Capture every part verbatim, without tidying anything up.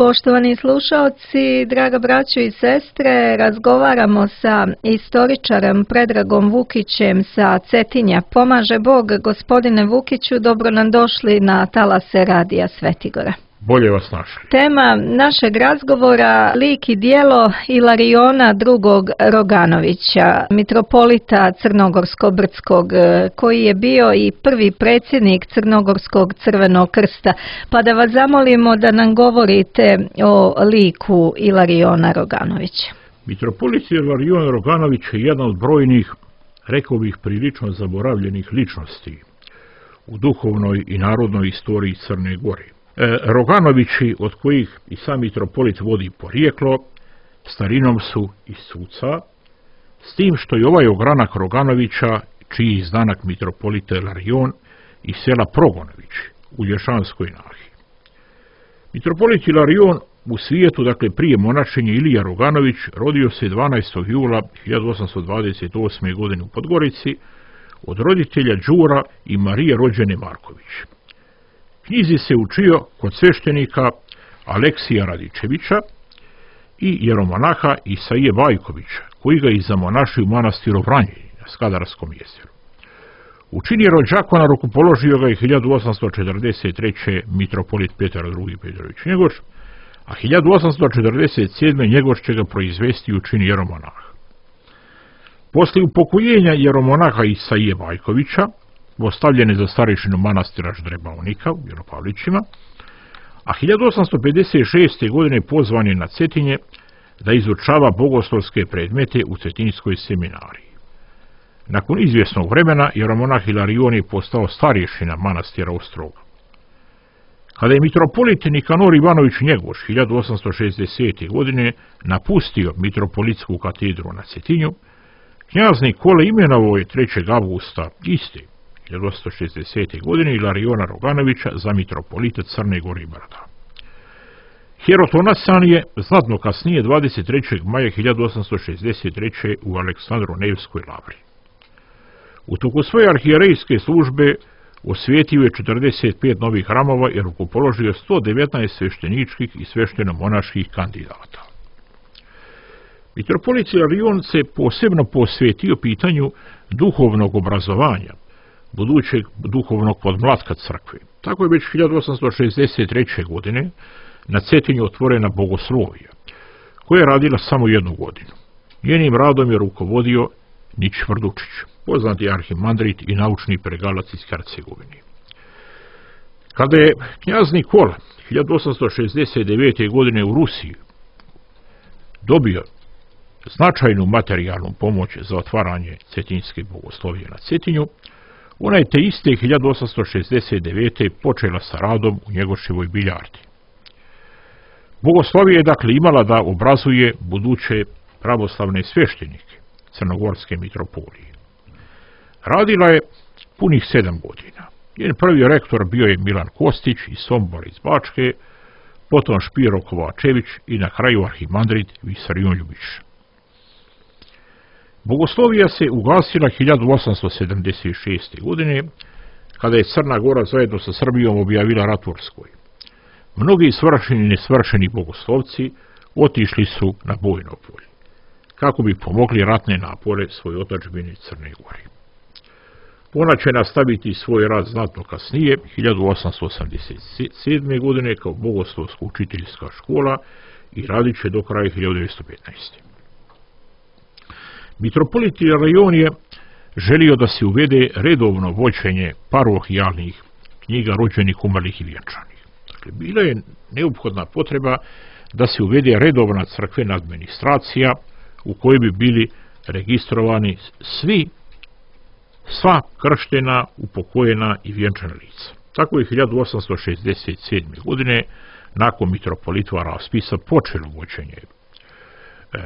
Poštovani slušaoci, draga braćo i sestre, razgovaramo sa istoričarem Predragom Vukićem sa Cetinja. Pomaže Bog, gospodine Vukiću, dobro nam došli na talase Radija Svetigora. Bolje vas našli. Tema našeg razgovora, lik i djelo Ilariona drugog Roganovića, mitropolita Crnogorsko-Brdskog, koji je bio i prvi predsjednik Crnogorskog Crvenog krsta. Pa da vas zamolimo da nam govorite o liku Ilariona Roganovića. Mitropolit Ilarion Roganović je jedan od brojnih, rekao bih, prilično zaboravljenih ličnosti u duhovnoj i narodnoj istoriji Crne Gore. E, Roganovići, od kojih i sam mitropolit vodi porijeklo, starinom su iz Suca, s tim što je ovaj ogranak Roganovića, čiji izdanak mitropolita Ilarion, iz sela Progonović u Lješanskoj nahi. Mitropolit Ilarion u svijetu, dakle prije monašenja Ilija Roganović, rodio se dvanaestog jula hiljadu osamsto dvadeset osme. godine u Podgorici od roditelja Đura i Marije rođene Marković. Knjizi se učio kod sveštenika Aleksija Radičevića i jeromonaha Isaije Bajkovića, koji ga i zamonašio u manastiru Vranjeni na Skadarskom jezeru. U čini rođakona rukopoložio ga je hiljadu osamsto četrdeset treće. mitropolit Petar drugi. Petrović Njegoš, a hiljadu osamsto četrdeset sedme. Njegoš će ga proizvesti u čini jeromonaha. Poslije upokojenja jeromonaha Isaije Bajkovića, ostavljen je za starešinu manastira Ždrebavnika u Vjeropavlićima, a hiljadu osamsto pedeset šeste. godine pozvan je na Cetinje da izučava bogoslovske predmete u Cetinjskoj seminariji. Nakon izvjesnog vremena jeromonah Ilarion je postao starješina manastira Ostroga. Kada je mitropolit Nikanor Ivanović Njegoš hiljadu osamsto šezdesete. godine napustio mitropolitsku katedru na Cetinju, knjaz Nikole imenovao je trećeg avgusta iste hiljadu osamsto šezdesete. godine Ilariona Roganovića za mitropolita Crne Gore i Brda. Hierotonasan je znatno kasnije dvadeset trećeg maja hiljadu osamsto šezdeset treće. u Aleksandru Nevskoj lavri. U toku svoje arhijerejske službe osvijetio je četrdeset pet novih hramova i rukopoložio sto devetnaest svešteničkih i svešteno-monaških kandidata. Mitropolit Ilarion se posebno posvetio pitanju duhovnog obrazovanja budućeg duhovnog podmlatka crkve. Tako je već hiljadu osamsto šezdeset treće. godine na Cetinju otvorena bogoslovija, koja je radila samo jednu godinu. Njenim radom je rukovodio Nić Vrdučić, poznati arhimandrit i naučni pregalac iz Hercegovine. Kada je knjaz Nikola hiljadu osamsto šezdeset devete. godine u Rusiji dobio značajnu materijalnu pomoć za otvaranje cetinjske bogoslovije na Cetinju, ona je te iste hiljadu osamsto šezdeset devete. počela sa radom u Njegoševoj biljardi. Bogoslovija je dakle imala da obrazuje buduće pravoslavne sveštenike Crnogorske mitropolije. Radila je punih sedam godina. Njen prvi rektor bio je Milan Kostić iz Sombora iz Bačke, potom Špiro Kovačević i na kraju arhimandrit Visarion Ljubić. Bogoslovija se ugasila hiljadu osamsto sedamdeset šeste. godine, kada je Crna Gora zajedno sa Srbijom objavila rat Turskoj. Mnogi svršeni i nesvršeni bogoslovci otišli su na bojno polje, kako bi pomogli ratne napore svoje otadžbine Crne Gore. Ona će nastaviti svoj rad znatno kasnije, hiljadu osamsto osamdeset sedme. godine, kao bogoslovsko-učiteljska škola i radit će do kraja hiljadu devetsto petnaeste. Mitropolit Ilarion je želio da se uvede redovno vođenje parohijalnih knjiga rođenih, umrlih i vjenčanih. Dakle, bila je neophodna potreba da se uvede redovna crkvena administracija u kojoj bi bili registrovani svi, sva krštena, upokojena i vjenčana lica. Tako je hiljadu osamsto šezdeset sedme. godine nakon mitropolitova raspisa počelo vođenje e,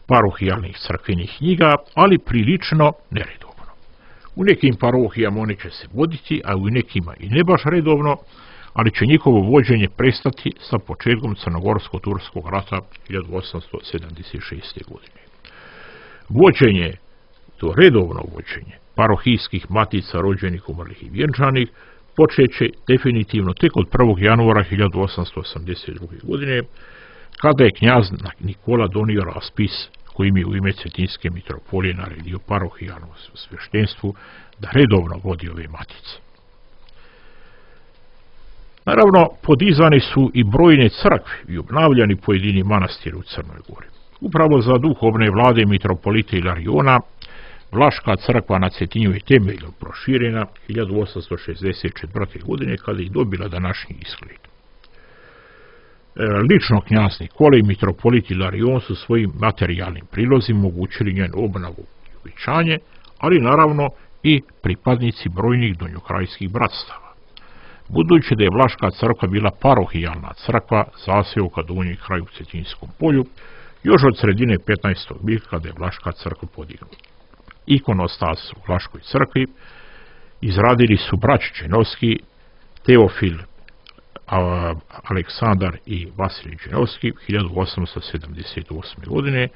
parohijalnih crkvenih knjiga, ali prilično neredovno. U nekim parohijama one će se voditi, a u nekima i ne baš redovno, ali će njihovo vođenje prestati sa početkom Crnogorsko-Turskog rata hiljadu osamsto sedamdeset šeste. godine. Vođenje, to redovno vođenje parohijskih matica rođenih, umrlih i vjenčanih, počeće definitivno tek od prvog januara hiljadu osamsto osamdeset druge. godine, kada je knjaz Nikola donio raspis kojim je u ime Cetinske mitropolije naredio parohijalnom sveštenstvu da redovno vodi ove matice. Naravno, podizani su i brojne crkve i obnavljani pojedini manastiri u Crnoj Gori. Upravo za duhovne vlade mitropolita Ilariona, Vlaška crkva na Cetinju je temeljno proširena hiljadu osamsto šezdeset četvrte. godine kada je dobila današnji izgled. Lično knjaz Nikola i mitropolit Ilarion su svojim materijalnim prilozima omogućili njenu obnovu i uvećanje, ali naravno i pripadnici brojnih donjokrajskih bratstava. Budući da je Vlaška crkva bila parohijalna crkva, zaseoka Donji kraj u Cetinskom polju, još od sredine petnaestog vijeka kada je Vlaška crkva podignuta. Ikonostas u Vlaškoj crkvi izradili su braća Dženovski, Teofil, Aleksandar i Vasilij Dženovski hiljadu osamsto sedamdeset osme. godine,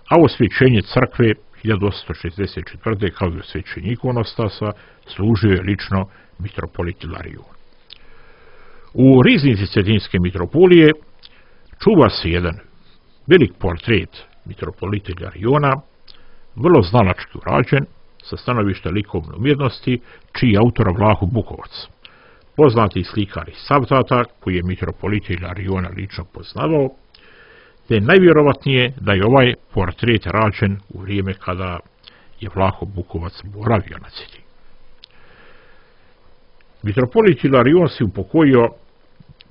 a osvjećenje crkve hiljadu osamsto šezdeset četvrte. kao i osvjećenje ikonostasa služio je lično mitropolit Ilarion. U riznici Cetinske mitropolije čuva se jedan velik portret mitropolita Ilariona, vrlo znalački urađen, sa stanovišta likovne umjetnosti, čiji je autor Vlaho Bukovac, poznati slikar iz Savtata, koji je mitropolita Ilariona lično poznavao, te najvjerovatnije da je ovaj portret rađen u vrijeme kada je Vlaho Bukovac boravio na Cetini. Mitropolit Ilarion se upokojio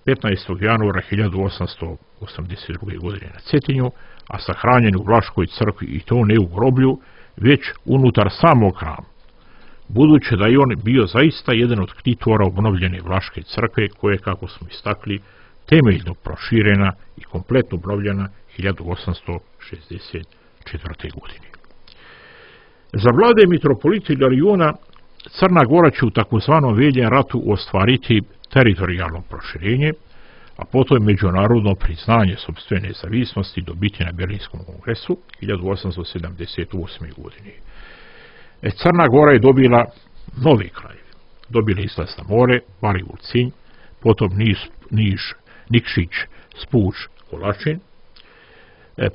petnaestog januara hiljadu osamsto osamdeset druge. godine na Cetinju, a sahranjen u Vlaškoj crkvi, i to ne u groblju, već unutar samog hrama, budući da je on bio zaista jedan od ktitora obnovljene Vlaške crkve, koje, kako smo istakli, temeljno proširena i kompletno obnovljena hiljadu osamsto šezdeset četvrte. godine. Za vlade mitropolita Ilariona Crna Gora će u takozvanom Veljem ratu ostvariti teritorijalno proširenje, a potom međunarodno priznanje sopstvene nezavisnosti dobiti na Berlinskom kongresu hiljadu osamsto sedamdeset osme. godine. Crna Gora je dobila novi kraj. Dobila izlaz na more, Varivul Cinj, potom Niš, Niš, Nikšić, Spuč, Kolačin,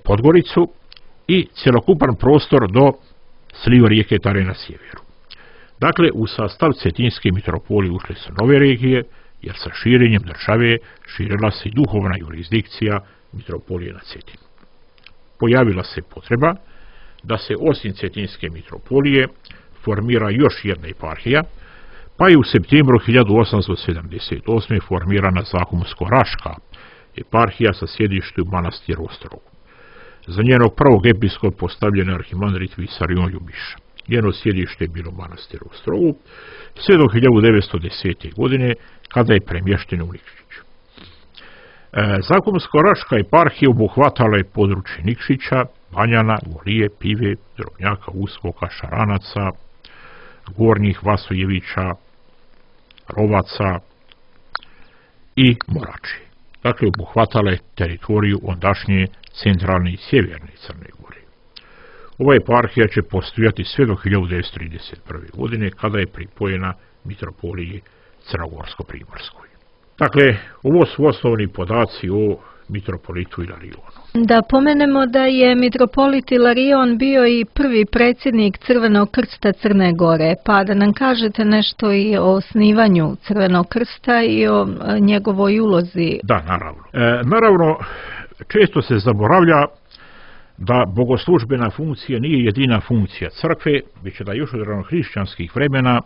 Podgoricu i cjelokupan prostor do sliva rijeke Tare na sjeveru. Dakle, u sastav Cetinske mitropolije ušle su nove regije, jer sa širenjem države širila se i duhovna jurisdikcija mitropolije na Cetinu. Pojavila se potreba da se osim Cetinske mitropolije formira još jedna eparhija, pa je u septembru hiljadu osamsto sedamdeset osme. formirana Zahumsko-Raška eparhija sa sjedištem u manastiru Ostrogu. Za njenog prvog episkopa postavljen je arhimandrit Visarion Ljubiša. Njeno sjedište je bilo u manastiru Ostrogu, sve do hiljadu devetsto desete. godine, kada je premješteno u Nikšić. E, Zahumsko-Raška eparhija obuhvatala je područje Nikšića, Banjana, Golije, Pive, Drobnjaka, Uskoka, Šaranaca, Gornjih Vasojevića, Rovaca i Moračije. Dakle, obuhvatala je teritoriju ondašnje centralne i sjeverne Crne Gore. Ova eparhija će postojati sve do hiljadu devetsto trideset prve. godine, kada je pripojena mitropoliji Crnogorsko-Primorskoj. Dakle, ovo su osnovni podaci o mitropolitu Ilarionu. Da pomenemo da je mitropolit Ilarion bio i prvi predsjednik Crvenog krsta Crne Gore, pa da nam kažete nešto i o osnivanju Crvenog krsta i o njegovoj ulozi. Da, naravno. E, naravno, često se zaboravlja da bogoslužbena funkcija nije jedina funkcija crkve, već da još od ranohrišćanskih vremena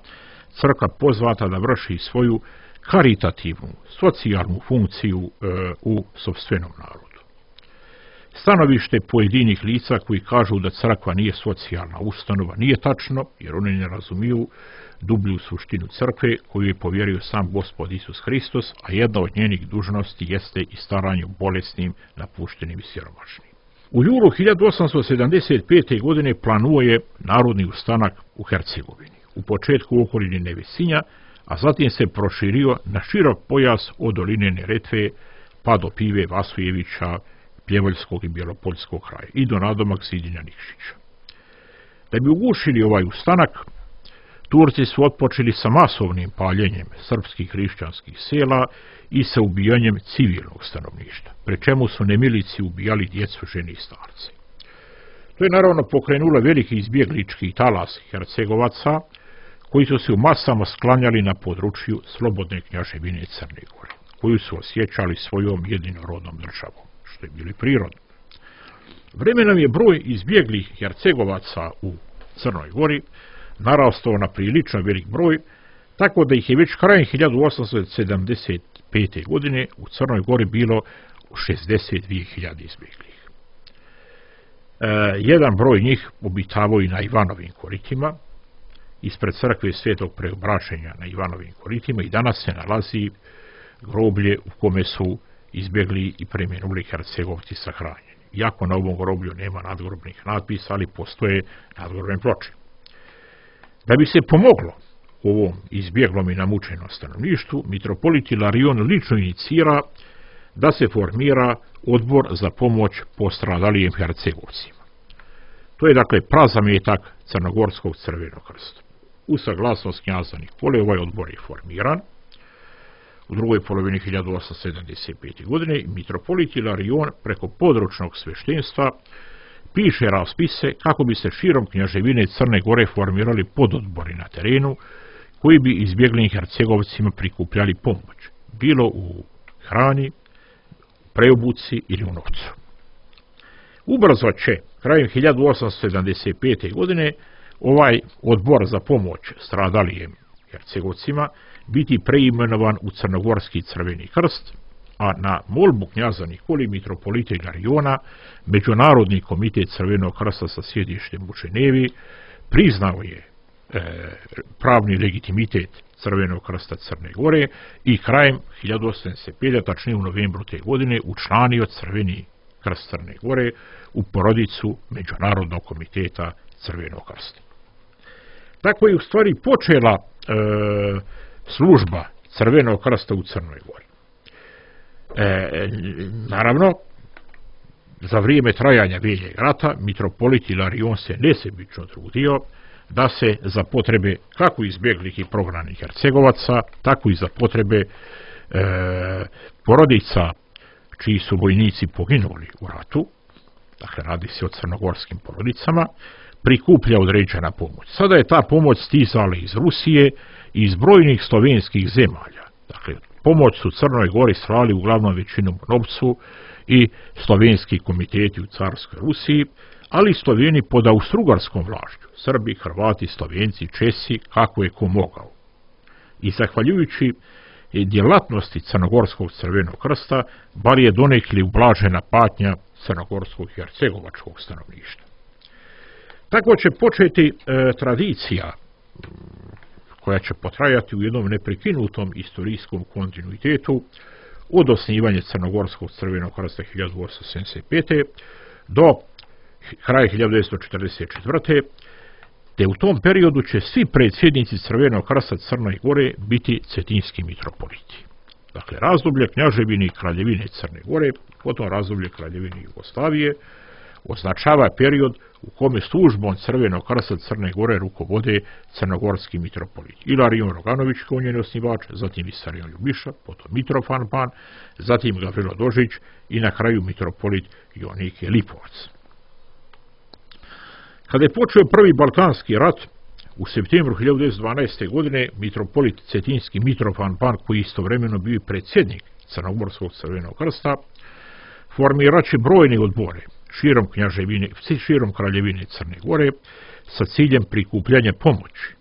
crkva pozvata da vrši svoju karitativnu, socijalnu funkciju e, u sopstvenom narodu. Stanovište pojedinih lica koji kažu da crkva nije socijalna ustanova nije tačno, jer oni ne razumiju dublju suštinu crkve koju je povjerio sam Gospod Isus Hristos, a jedna od njenih dužnosti jeste i staranje o bolesnim, napuštenim i siromašnim. U julu hiljadu osamsto sedamdeset pete. godine planuje narodni ustanak u Hercegovini, u početku u okolini Nevesinja, a zatim se proširio na širok pojas od doline Neretve pa do Pive, Vasojevića, Pljevoljskog i Bjelopoljskog kraja i do nadomak Sidinja Nikšića. Da bi ugušili ovaj ustanak, Turci su otpočeli sa masovnim paljenjem srpskih hrišćanskih sela i sa ubijanjem civilnog stanovništva, pri čemu su nemilici ubijali djecu, žene i starce. To je naravno pokrenulo veliki izbjeglički talas Hercegovaca, koji su se u masama sklanjali na području slobodne knjaževine Crne Gore, koju su osjećali svojom jedinorodnom državom, što je bili prirodno. Vremenom je broj izbjeglih Hercegovaca u Crnoj Gori narastao na prilično velik broj, tako da ih je već krajem hiljadu osamsto sedamdeset pete. godine u Crnoj Gori bilo šezdeset dvije hiljade izbjeglih. E, jedan broj njih obitavao i na Ivanovim koritima, ispred crkve Svetog Preobraćenja na Ivanovim koritima, i danas se nalazi groblje u kome su izbjegli i preminuli Hercegovci sahranjeni. Iako na ovom groblju nema nadgrobnih natpisa, ali postoje nadgrobne ploče. Da bi se pomoglo ovom izbjeglom i namučenom stanovništvu, mitropolit Ilarion lično inicira da se formira odbor za pomoć postradalijim Hercegovcima. To je dakle prazametak Crnogorskog Crvenog krsta. U saglasnost knjaza Nikole ovaj odbor je formiran u drugoj polovini hiljadu osamsto sedamdeset pete. godine. Mitropolit Ilarion preko područnog sveštenstva piše raspise kako bi se širom knjaževine Crne Gore formirali pododbori na terenu koji bi izbjeglim Hercegovcima prikupljali pomoć, bilo u hrani, preobuci ili u novcu. Ubrzo će, krajem hiljadu osamsto sedamdeset pete. godine, ovaj odbor za pomoć stradalijim Hercegovcima biti preimenovan u Crnogorski Crveni krst, a na molbu knjaza Nikoli mitropolita Ilariona Međunarodni komitet Crvenog krsta sa sjedištem u Ženevi priznao je e, pravni legitimitet Crvenog krsta Crne Gore i krajem hiljadu osamsto sedamdeset pete. tačnije u novembru te godine učlanio Crveni krst Crne Gore u porodicu Međunarodnog komiteta Crvenog krsta. Tako je u stvari počela e, služba Crvenog krsta u Crnoj Gori. E, naravno, za vrijeme trajanja Veljeg rata mitropolit Ilarion se nesebično trudio da se za potrebe kako izbjeglih i prognanih Hercegovaca, tako i za potrebe e, porodica čiji su vojnici poginuli u ratu, dakle radi se o crnogorskim porodicama, prikuplja određena pomoć. Sada je ta pomoć stizala iz Rusije i iz brojnih slovenskih zemalja. Dakle, pomoć su Crnoj Gori slali uglavnom većinom u novcu i slovenski komiteti u carskoj Rusiji, ali i Sloveni pod austrougarskom vlašću, Srbi, Hrvati, Slovenci, Česi, kako je ko mogao. I zahvaljujući djelatnosti Crnogorskog Crvenog krsta, bar je donekli ublažena patnja crnogorskog i hercegovačkog stanovništva. Tako će početi e, tradicija koja će potrajati u jednom neprekinutom istorijskom kontinuitetu od osnivanja Crnogorskog Crvenog krsta hiljadu osamsto sedamdeset pete. do kraja hiljadu devetsto četrdeset četvrte. te u tom periodu će svi predsjednici Crvenog krsta Crne Gore biti cetinski mitropoliti. Dakle, razdoblje knjaževine i kraljevine Crne Gore, potom razdoblje kraljevine Jugoslavije, označava period u kome službom Crvenog krsta Crne Gore rukovode crnogorski mitropolit. Ilarion Roganović kao njen osnivač, zatim Visarion Ljubiša, potom Mitrofan Pan, zatim Gavrilo Dožić i na kraju mitropolit Jonike Lipovac. Kada je počeo prvi Balkanski rat, u septembru hiljadu devetsto dvanaeste. godine mitropolit cetinski Mitrofan Pan, koji istovremeno bio predsjednik Crnogorskog Crvenog krsta, formirat će brojne odbore širom knjaževine, širom kraljevine Crne Gore sa ciljem prikupljanja pomoći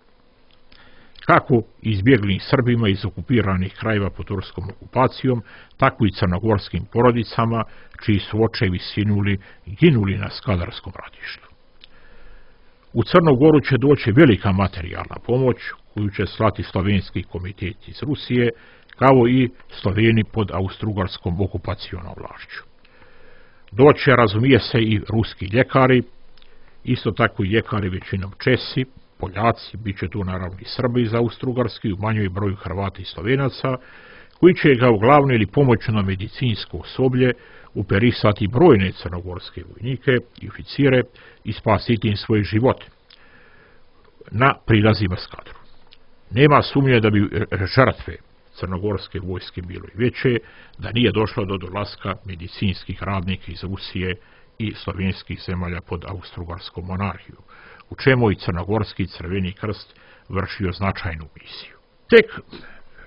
kako izbjeglim Srbima iz okupiranih krajeva pod turskom okupacijom, tako i crnogorskim porodicama čiji su očevi sinuli i ginuli na Skadarskom ratištu. U Crnu Goru će doći velika materijalna pomoć koju će slati slovenski komitet iz Rusije, kao i Sloveni pod austrougarskom okupacionom vlašću. Doće, razumije se, i ruski ljekari, isto tako i ljekari većinom Česi, Poljaci, bit će tu naravno i Srbi iz Austrougarski, u manjoj broju Hrvata i Slovenaca, koji će ga uglavnom ili pomoćno medicinsko osoblje uperisati brojne crnogorske vojnike i oficire i spasiti im svoje živote na prilazima Skadru. Nema sumnje da bi žrtve crnogorske vojske bilo i veće, da nije došlo do dolaska medicinskih radnika iz Rusije i slovenskih zemalja pod austrougarskom monarhiju, u čemu i Crnogorski Crveni krst vršio značajnu misiju. Tek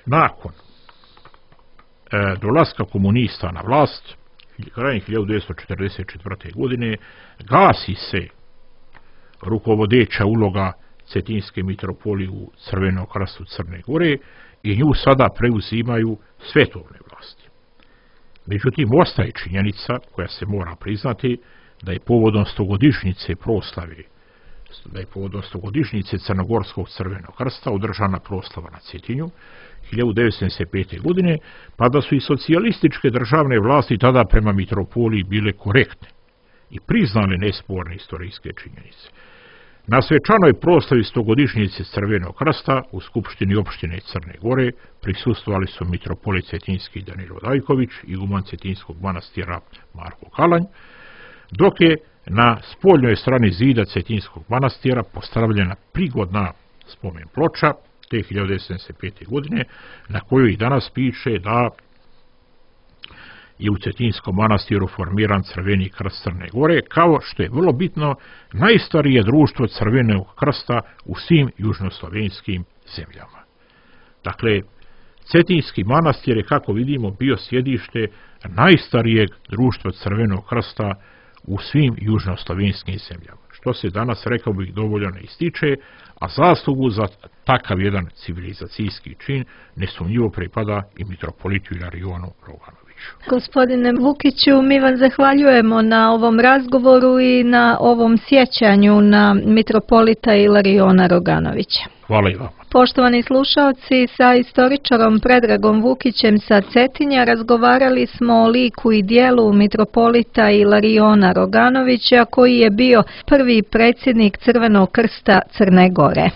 nakon e, dolaska komunista na vlast, krajem hiljadu devetsto četrdeset četvrte. godine, gasi se rukovodeća uloga Cetinske mitropolije u Crvenom krstu Crne Gore i nju sada preuzimaju svetovne vlasti. Međutim, ostaje činjenica koja se mora priznati da je povodom stogodišnjice proslave, da je povodom stogodišnjice Crnogorskog Crvenog krsta održana proslava na Cetinju hiljadu devetsto sedamdeset pete. godine, pa da su i socijalističke državne vlasti tada prema mitropoliji bile korektne i priznale nesporne istorijske činjenice. Na svečanoj proslavi stogodišnjice Crvenog krsta u Skupštini opštine Crne Gore prisustvovali su mitropolit Cetinski Danilo Dajković i iguman Cetinskog manastira Marko Kalanj, dok je na spoljnoj strani zida Cetinskog manastira postavljena prigodna spomen ploča te hiljadu devetsto sedamdeset pete. godine, na kojoj i danas piše da je u Cetinskom manastiru formiran Crveni krst Crne Gore, kao što je vrlo bitno najstarije društvo Crvenog krsta u svim južnoslovenskim zemljama. Dakle, Cetinski manastir je, kako vidimo, bio sjedište najstarijeg društva Crvenog krsta u svim južnoslovenskim zemljama, što se danas, rekao bih, dovoljno ne ističe, a zaslugu za takav jedan civilizacijski čin nesumnjivo pripada i mitropolitu Ilarionu Roganoviću. Gospodine Vukiću, mi vam zahvaljujemo na ovom razgovoru i na ovom sjećanju na mitropolita Ilariona Roganovića. Hvala i vama. Poštovani slušalci, sa istoričarom Predragom Vukićem sa Cetinja razgovarali smo o liku i dijelu mitropolita Ilariona Roganovića, koji je bio prvi predsjednik Crvenog krsta Crne Gore.